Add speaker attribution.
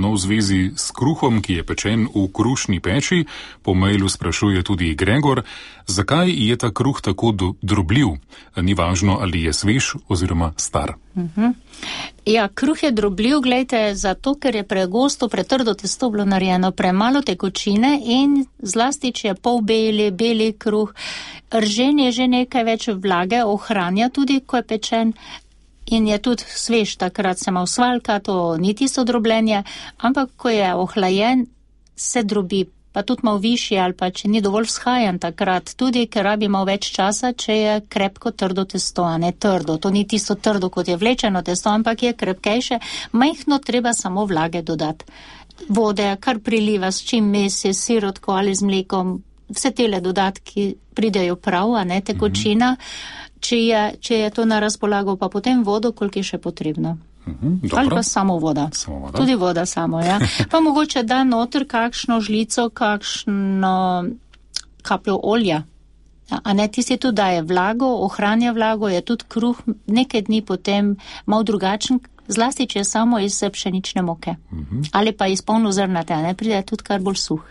Speaker 1: No, v zvezi s kruhom, ki je pečen v krušni peči, po mailu sprašuje tudi Gregor, zakaj je ta kruh tako drobljiv? Ni važno, ali je svež oziroma star.
Speaker 2: Ja, kruh je drobljiv, gledajte, zato, ker je pregosto, pretrdo testo bilo narejeno, premalo tekočine in zlasti, če je beli kruh, ržen je že nekaj več vlage, ohranja tudi, ko je pečen. In je tudi svež, takrat se ima usvalka, to ni tisto drobljenje, ampak ko je ohlajen, se drobi, pa tudi malo višji ali pa če ni dovolj vzhajan takrat, tudi ker rabi malo več časa, če je krepko trdo testo, a ne trdo. To ni tisto trdo, kot je vlečeno testo, ampak je krepkejše, majhno treba samo vlage dodati. Vode, kar priliva, s čim mesi, sirotko ali z mlekom, vse tele dodatki pridejo prav, a ne tekočina. Če je to na razpolago, pa potem vodo, koliko je še potrebno. Ali pa samo voda. Tudi voda samo, ja. Pa mogoče da noter kakšno žlico, kakšno kapljo olja. A ne, tisti tudi daje vlago, ohranja vlago, je tudi kruh nekaj dni potem malo drugačen, zlasti, če je samo iz pšenične moke. Ali pa iz polnozrnate, a ne, pride tudi kar bolj suh.